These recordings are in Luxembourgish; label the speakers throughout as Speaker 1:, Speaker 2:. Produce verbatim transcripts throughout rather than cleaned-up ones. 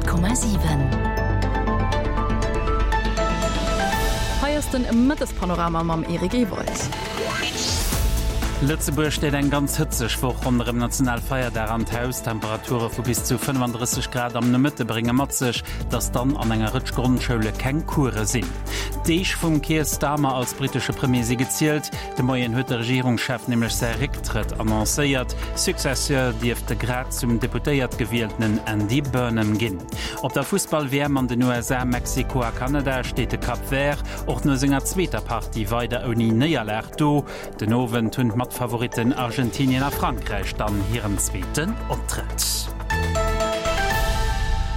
Speaker 1: Honnert Komma siwen.
Speaker 2: Hei ass den Mëttespanorama mam Eric Ewald.
Speaker 3: Lëtzebuerg steet eng ganz hëtzeg Woch ronderëm Nationalfeierdag an d'Haus. Temperature vu bis zu fënnefandrësseg Grad am Nomëtte brénge mat sech, datt dann an enger Rëtsch Grondschoule keng Course sinn. D'Deeg vum Keir Starmer als brittesche Premier si gezielt. De Moien huet de Regierungschef nämlech säi Récktrëtt annoncéiert. Successeur dierft de grad zum Deputéiert gewieltenen Andy Burnham ginn. Op der Fussball-W M an den U S A, Mexiko a Kanada steet de Cap Vert och no senger zweeter Partie weider ouni Néierlag do. Den Owend hunn d'Matfavoritten Argentinien a Frankräich dann hiren zweeten Optrëtt.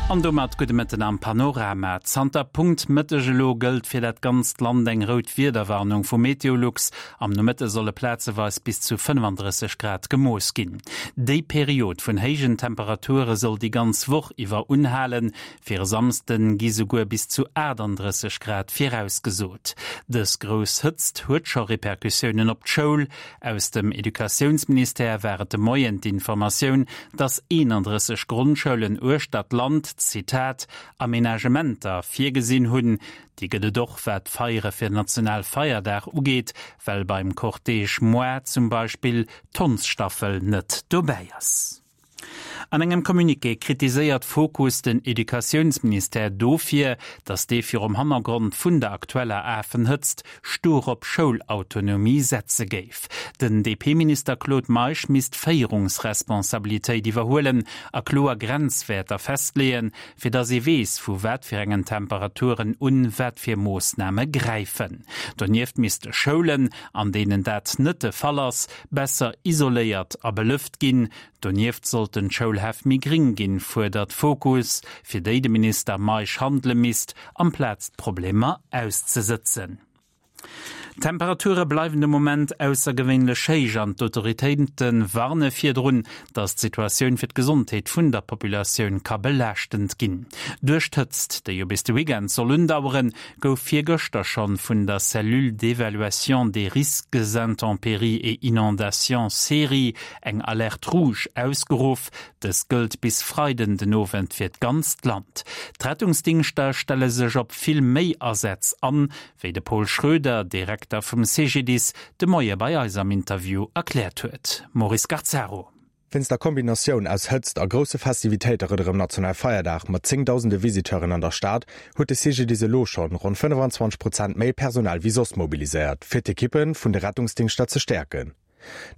Speaker 3: An domat gudde Mëtten am Panorama. Zanter Punkt Mëtteg elo gëllt fir dat ganzt Land eng rout Wiederwarnung vu Meteolux. Am Nomëtte solle plazeweis bis zu fënnefandrësseg Grad gemooss ginn. Déi Period vun héijen Temperature soll déi ganz Woch iwwer unhalen. Fir e Samsden gi souguer bis zu achtandrësseg Grad virausgesot. Dës grouss Hëtzt huet scho Repercussiounen op d'Schoul. Aus dem Educatiounsministère war et de Moien d'Informatioun, dass eenandrësseg Grondschoulen uechter d'Land, Zitat, Aménagementer virgesinn hunn. Déi gëtt et och, wat d'Feiere fir Nationalfeierdag ugeet, well beim Cortège Moi zum Beispill d'Hondsstaffel net dobäi ass. An engem Communiqué kritiséiert Fokus den Educatiounsministère dofir, datt dee virum Hannergrond vun der aktueller Afenhëtzt stur op Schoulautonomie setze géif. Den D P-Minister Claude Meisch misst Féierungsresponsabilitéit iwwerhuelen a kloer Grenzwäerter festleeën, fir datt ee weess, vu wat fir engen Temperaturen un wat fir Moossname gräifen. Donieft misste Schoulen, an deenen dat net de Fall ass, besser isoléiert a belëft ginn. Donieft sollten d'Schoulhäff méi gring ginn, fuerdert Fokus, fir déi de Minister Meisch handele misst, amplaz d'Problemer auszesëtzen. Temperature bleiwen de Moment aussergewéinlech héich an d'Autoritéite warne virdrun, datt d'Situatioun fir d'Gesondheet vun der Populatioun ka belaaschtend ginn. Duerch d'Hëtzt, déi jo bis de Weekend soll undauern, gouf virgëschter schonn vun der Cellule d'évaluation des risques intempéries et inondations CERI eng Alerte rouge ausgeruff. Dës gëllt bis Freiden den Owend fir d'ganzt Land. D'Rettungsdingschter stelle sech op vill méi Asätz an, wéi de Paul Schröder, Direkter vum C G D I S, de Moie bei eis am Interview erkläert huet. Maurice Garzaro.
Speaker 4: Wéinst der Kombinatioun aus Hëtzt a grousse Festivitéite rëdderem Nationalfeierdag mat zéngdausende Visiteuren an der Stad huet de C G D I S elo schonn ronn fënnefenzwanzeg Prozent méi Personal wéi soss mobiliséiert, fir d'Ekippen vun de Rettungsdingschter ze stärken.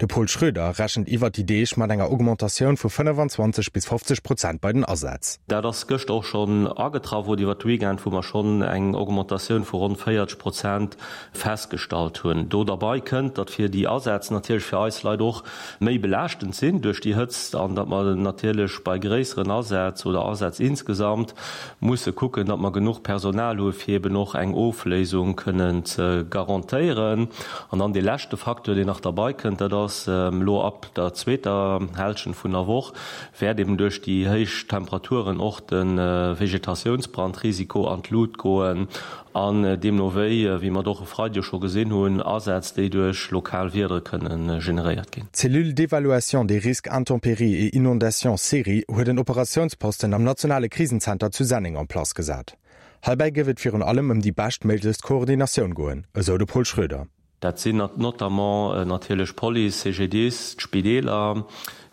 Speaker 4: De Paul Schröder rechent iwwer déi Deeg mat enger Augmentatioun vu fënnefenzwanzeg bis fofzeg Prozent bei den Asätz.
Speaker 5: Dat ass gëschter och schonn agetraff, wou iwwer Weekend, wou mer schonn eng Augmentatioun vu ronn véierzeg Prozent festgestallt hunn. Do dabei kënnt, datt fir déi Asätz natierlech fir eis Leit och méi belaaschtend sinn duerch déi Hëtzt an datt mer natierlech bei gréisseren Asätz oder Asätz insgesamt musse kucken, datt mer genuch Personal hu fir eben och eng Ofléisung kënnen ze garantéieren. An dann de leschte Faktor, deen nach dabei kënnt, dat ass, ähm, lo ab der zweeter Hälschent vun der Woch wäert eben duerch déi héich Temperaturen och den, äh, Vegetatiounsbrandrisiko an d'Lut goen an, äh, deemno wéi, äh, wéi mer doch e Freideg scho gesinn hunn, Asätz, déi duerch lokal Wiedere kënnen, äh, generéiert ginn.
Speaker 4: D'Cellule d'évaluation des risques intempéries et inondations CERI huet en Operatiounsposten am nationale Krisenzenter zu Senneng en place gesat. Heibäi gëtt et virun allem ëm déi beschtméiglechst Koordinatioun goen, esou de Paul Schröder.
Speaker 5: Dat sinn nat-, notamment, äh, natierlech Police, C G D I S, d'Spideeler,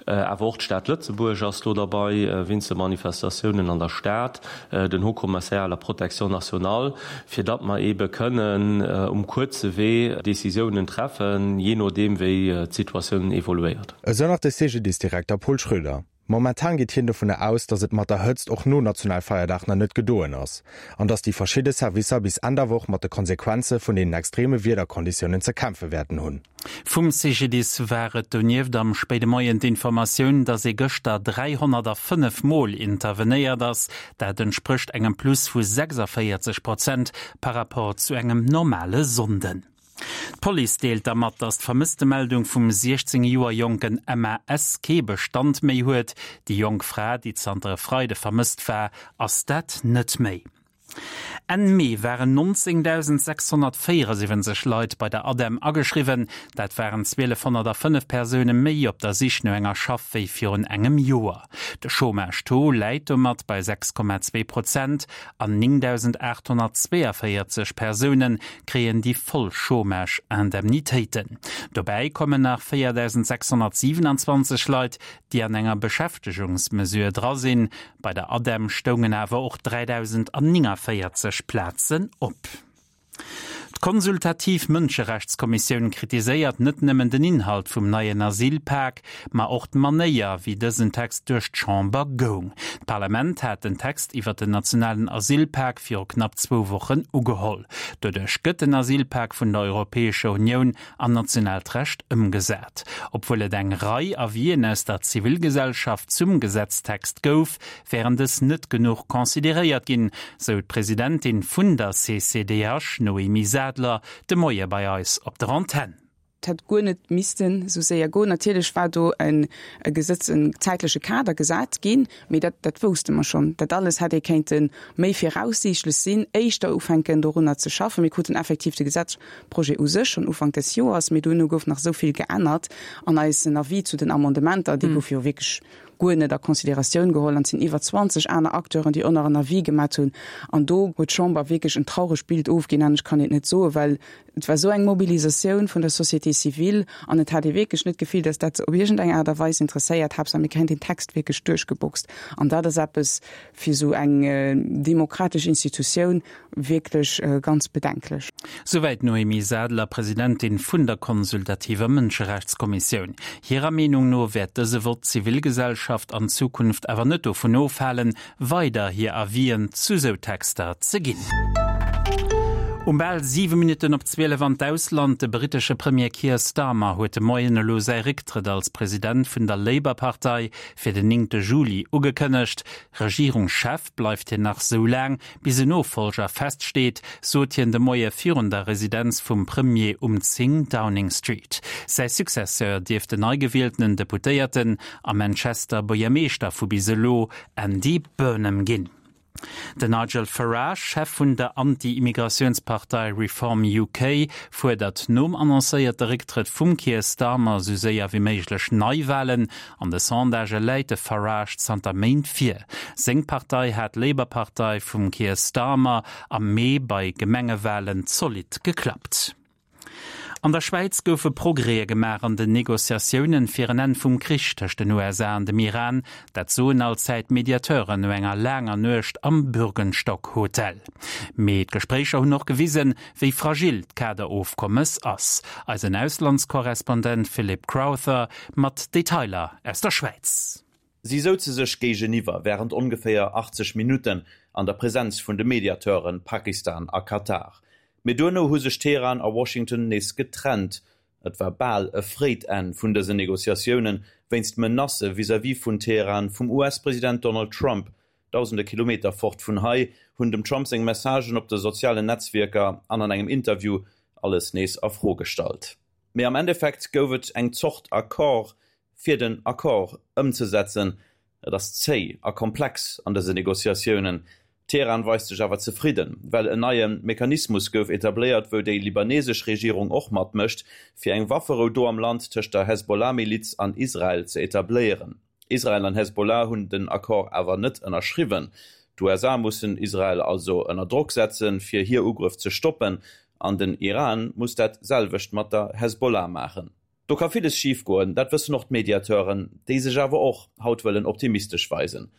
Speaker 5: äh, awer och d'Stad Lëtzebuerg ass do dabei, äh, wéinst de Manifestatiounen an der Stad, äh, den Haut-Commissaire à la Protection nationale, fir datt mer ebe kënnen, äh, um kurze Wee Decisiounen treffen, je nodeem wéi, äh, d'Situatioun evoluéiert.
Speaker 4: Esou nach de C G D I S-Direkter Paul Schröder. Momentan geet hien dovun aus, datt et mat der Hëtzt och no Nationalfeierdag nach net gedoen ass an datt déi verschidde Servicer bis Enn der Woch mat de Konsequenze vun den extreme Wiederkonditiounen ze kämpfe wäerten hunn.
Speaker 3: Vum C G D I S war et donieft am spéide Moien d'Informatioun, datt ee gëschter dräihonnertfënnef Mol intervenéiert ass. Dat entsprécht engem Plus vu sechsundvierzig Prozent par rapport zu engem normale Sonnden. D'Police deelt dermat, datt d'vermësste Meldung vum siechzéng Joer jonken M A S kee Bestand méi huet. Déi jonk Fra, déi zanter e Freide vermësst war, ass dat net méi. Enn Mee waren neunzéngdausendsechshonnertvéierasiwwenzeg Leit bei der ADEM ageschriwwen. Dat waren zwielefhonnertafënnef Persoune méi op der Sich no enger Schaff wéi virun engem Joer. De Chômage-Taux läit domat bei sechs Komma zwee Prozent an néngdausendachthonnertzweeënvéierzeg Persoune kréien déi voll Chômage-Indemnitéiten. Dobäi kommen nach véierdausendsächshonnertsiwenanzwanzeg Leit, déi an enger Beschäftegungsmesure dra sinn. Bei der ADEM stoungen awer och dräidausendnéngavéierzeg Plazen op. D'Konsultativ Mënscherechtskommissioun kritiséiert net nëmmen den Inhalt vum neien Asylpak, ma och d'Manéier, wéi dësen Text duerch d'Chamber goung. D'Parlament hat den Text iwwer den nationalen Asylpak viru knapp zwou Wochen ugeholl. Doduerch gëtt den Asylpak vun der Europäescher Unioun an nationaalt Recht ëmgesat. Obwuel et eng Rei Avisen aus der Zivilgesellschaft zum Gesetztext gouf, wären dës net genuch consideréiert ginn, sou d'Presidentin vun der C C D H, Noémie Sadler, de Moie bei eis op der Antenn.
Speaker 1: Et hätt guer net missten esou séier goen. Natierlech war do e Gesetz, en zäitleche Kader gesat ginn, mee dat, dat wousste mer schonn. Dat alles hätt ee kéinte méi viraussiichtlech sinn, éischter ufänken dorunner ze schaffen. Mir kruten effektiv de Gesetzprojet u sech schonn Ufank des Joers, mee duerno gouf nach esou vill geännert an eisen Avis zu den Amendementer, dee gouf jo wierklech guer net a Consideratioun geholl an et sinn iwwer zwanzeg aner Acteuren, déi och nach en Avis gemat hunn. An do huet d'Chamber wierklech en trauregt Bild ofginn, anescht kann een et net soen, well et war esou eng Mobilisatioun vun der Société civile an et hat ee wierklech net d'Gefill, dass dat se op iergendeng Aart a Weis interesséiert. Haaptsaach mir kréien deen Text wierklech duerchgeboxt. An dat ass eppes fir esou eng demokratesch Institutioun wierklech ganz bedenklech.
Speaker 3: Souwäit d'Noémie Sadler, Presidentin vun der konsultativer Mënscherechtskommissioun. Hirer Meenung no wäert dëse Vott d'Zivilgesellschaft an Zukunft awer net dovun ofhalen, weider hir Avisen zu sou Texter ze ginn. Um bal siwe Minutten op zwielef an d'Ausland, De brittesche Premier Keir Starmer huet de Moien elo säi Récktrëtt als President vun der Labour-Partei fir den néngte Juli ugekënnegt. Regierungschef bleift hien nach sou laang, bis en Nofollger feststeet, sot hien de Moie virun der Residenz vum Premier um zéng Downing Street. Säi Successeur dierft den neigewieltenen Deputéierten a Manchester Buergermeeschter vu bis elo, Andy Burnham ginn. Den Nigel Farage, Chef vun der Anti-Immigratiounspartei Reform U K, fuerdert nom annoncéierte Récktrëtt vum Keir Starmer sou séier wéi méiglech Neiwalen. An de Sondagë läit de Farage zanter Méint vir. Seng Partei hat d'Labour-Partei vum Keir Starmer am Mee bei Gemengewalen zolidd geklappt. An der Schwäiz goufe Progrèse gemaach an den Negociatiounen fir en Enn vum Krich tëscht den U S A an dem Iran, dat soen allzäit Mediateuren no enger laanger Nuecht am Bürgenstock Hotel. Mee d'Gespréicher hunn och gewisen, wéi fragil d'Kaderofkommes ass. Eisen Auslandskorrespondent Philip Crowther mat Detailer aus der Schwäiz.
Speaker 6: Si souze sech géigeniwwer wärend ongeféier achtzeg Minutten an der Presenz vun de Mediateuren Pakistan a Katar. Mee duerno hu sech Teheran a Washington nees getrennt. Et war bal e fréit Enn vun dësen Negociatiounen, wéinst Menacë vis-à-vis vun Teheran vum U S-President Donald Trump. Dausende Kilometer fort vun hei hunn dem Trump seng Messagen op de sozialen Netzwierker an an engem Interview alles nees a Fro gestallt. Mee am Endeffekt gouf et eng Zort Accord, fir den Accord ëmzesetzen. Et ass zéi a komplex an dësen Negociatiounen. Teheran weist sech awer zefridden, well en neie Mechanismus gouf etabléiert, wou déi libanesesch Regierung och matmécht, fir eng Wafferou do am Land tëscht der Hezbollah-Miliz an Israel ze etabléieren. Israel an Hezbollah hunn den Accord awer net ënnerschriwwen. D'U S A mussen Israel also ënner Drock setzen, fir hir Ugrëff ze stoppen, an den Iran muss dat selwecht mat der Hezbollah maachen. Do ka villes schifgoen, dat wëssen och d'Mediateuren, déi sech awer och haut wëllen optimistesch weisen.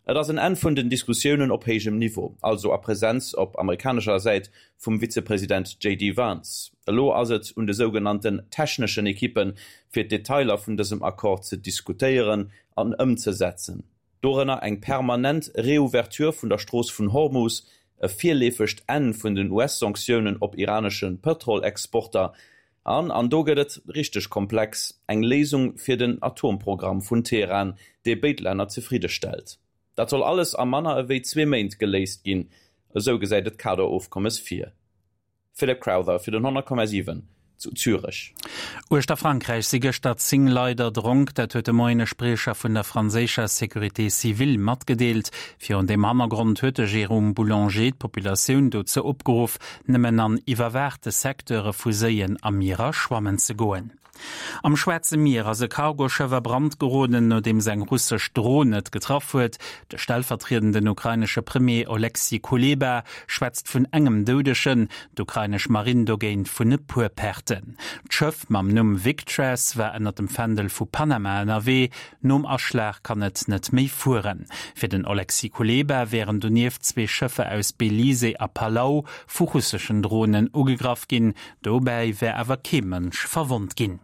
Speaker 6: Et ass en Enn vun den Diskussiounen op héijem Niveau, also a Presenz op amerikanescher Säit vum Vizepresident J D Vance. Elo ass et un de sougenannten techneschen Ekippen, fir d'Detailer vun dësem Accord ze diskutéieren an ëmzesetzen. Dorënner eng permanent Reouverture vun der Strooss vun Hormus, e virleefegt Enn vun den U S-Sanktiounen op iranesche Pëtrolexporter an, an do gëtt et richteg komplex, eng Léisung fir den Atomprogramm vun Teheran, dee béid Länner zefridde stellt. Dat soll alles a manner ewéi zwee Méint geléist ginn, esou gesäit et d'Kaderofkommes vir. Philip Crowther fir den honnert Komma siwen zu Zürech.
Speaker 3: Uechter Frankräich si gëschter zéng Leit erdronk. Dat huet de Moien e Spriecher vun der franséischer Sécurité civile matgedeelt. Virun deem Hannergrond huet de Jérôme Boulanger d'Populatioun dozou opgeruff, nëmmen an iwwerwaachte Secteure vu Séien a Mierer schwammen ze goen. Am Schwaarze Mier ass e Cargoschëff a Brand geroden, nodeems eng russesch Dron et getraff huet. De stellvertriedenden ukrainesche Premier Oleksiy Kuleba schwätzt vun engem Doudegen, d'ukrainesch Marinn dogéint vun e puer Perten. D'Schëff mam Numm Victress war ënnert dem Fändel vu Panama ënnerwee. Nom Aschlag kann et net méi fueren. Fir den Oleksiy Kuleba wären donieft zwee Schëffer aus Belize a Palau vu russeschen Dronen ugegraff ginn. Dobäi wär awer kee Mënsch verwonnt ginn.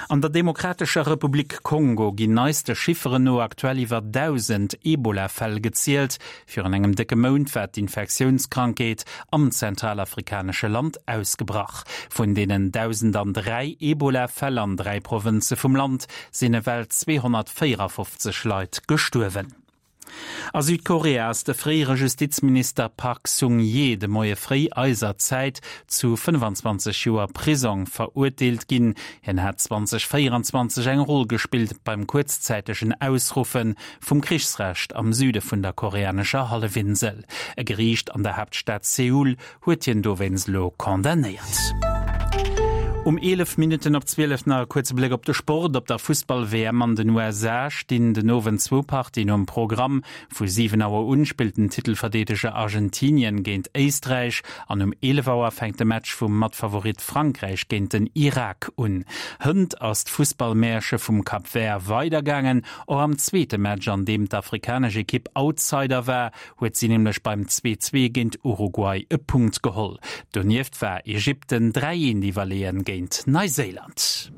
Speaker 3: An der Demokratescher Republik Kongo ginn neiste Chifferen no aktuell iwwer dausend Ebola-Fäll gezielt. Virun engem décke Mount war d'Infektiounskrankheet am zentralafrikanesche Land ausgebrach. Vun deenen dausendandräi Ebola-Fäll an dräi Provënze vum Land sinn ewell zweehonnertvéierafofzeg Leit gestuerwen. A Südkorea ass de fréiere Justizminister Park Sung-ye de Moie fréi eiser Zäit zu fënnfanzwanzeg Joer Prisong verurteelt ginn. Hien hat zweitausendvéieranzwanzeg eng Roll gespillt beim kuerzzäitegen Ausruffe vum Krichsrecht am Süde vun der koreanescher Hallefinsel. E Geriicht an der Haaptstad Seoul huet hien dowéinst elo condamnéiert. Um eelef Minutten op zwielef nach e kuerze Bléck op de Sport. Op der Fussball-W M an den U S A stinn den Owend zwou Partien um Programm. Vu siwen Auer un spillt den Titelverdeedeger Argentinien géint Éisträich an um eelef Auer fänkt de Match vum Matfavorit Frankräich géint den Irak un. Hënt ass d'Fussballmäerche vum Cap Vert weidergaangen. Och am zweete Match, an deem d'afrikanesch Ekipp Outsider war, huet si nämlech beim zwee zwee géint Uruguay e Punkt geholl. Donieft war Ägypten dräi eent iwwerleeën géint Neiséiland.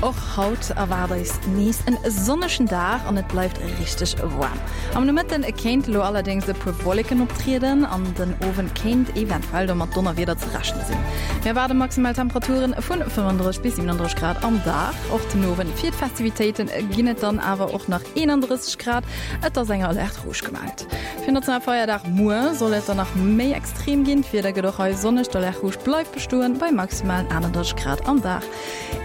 Speaker 2: Och haut erwaart eis nees en sonnegen Dag an et bleift richteg waarm. Am Nomëtten kéint elo allerdéngs e puer Wolleken optrieden an den Owend kéint eventuell do mat Donnerwieder ze rechne sinn. Mir erwaarde maximal Temperaturen vun fënnefandrësseg bis siwenandrësseg Grad am Dag. Och den Owend fir d'Festivitéiten ginn et dann awer och nach eenandrësseg Grad. Et ass eng Alerte rouge gemellt. Fir Nationalfeierdag muer soll et dann nach méi extrem ginn. D'Wieder gëtt och hei sonneg, d'Alerte rouge bleift bestoen bei maximalen aanendrësseg Grad am Dag.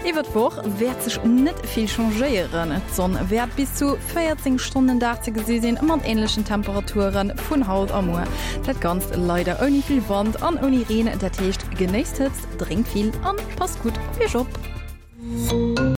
Speaker 2: Iwwer d'Woch wäert sech net vill changéieren. D'Sonn wäert bis zu véierzéng Stonnen den Dag ze gesi sinn, mat änlechen Temperature vun haut a muer. Dat Ganzt leider ouni vill Wand an ouni Reen. Dat heescht, genéisst d'Hëtzt, drénkt vill an passt gutt op iech op.